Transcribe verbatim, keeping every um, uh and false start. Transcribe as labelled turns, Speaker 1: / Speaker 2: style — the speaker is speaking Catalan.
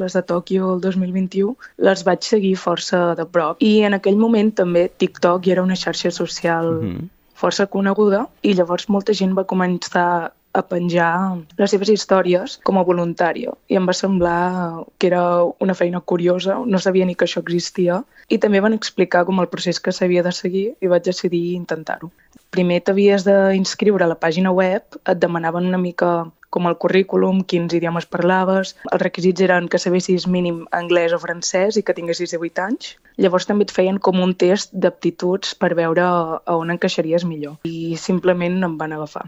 Speaker 1: les de Tòquio el dos mil vint-i-u, les vaig seguir força de prop. I en aquell moment també TikTok era una xarxa social uh-huh. força coneguda i llavors molta gent va començar a penjar les seves històries com a voluntària. I em va semblar que era una feina curiosa, no sabia ni que això existia. I també van explicar com el procés que s'havia de seguir i vaig decidir intentar-ho. Primer t'havies d'inscriure a la pàgina web, et demanaven una mica com el currículum, quins idiomes parlaves. Els requisits eren que sabessis mínim anglès o francès i que tinguessis divuit anys. Llavors també et feien com un test d'aptituds per veure a on encaixaries millor. I simplement em van agafar.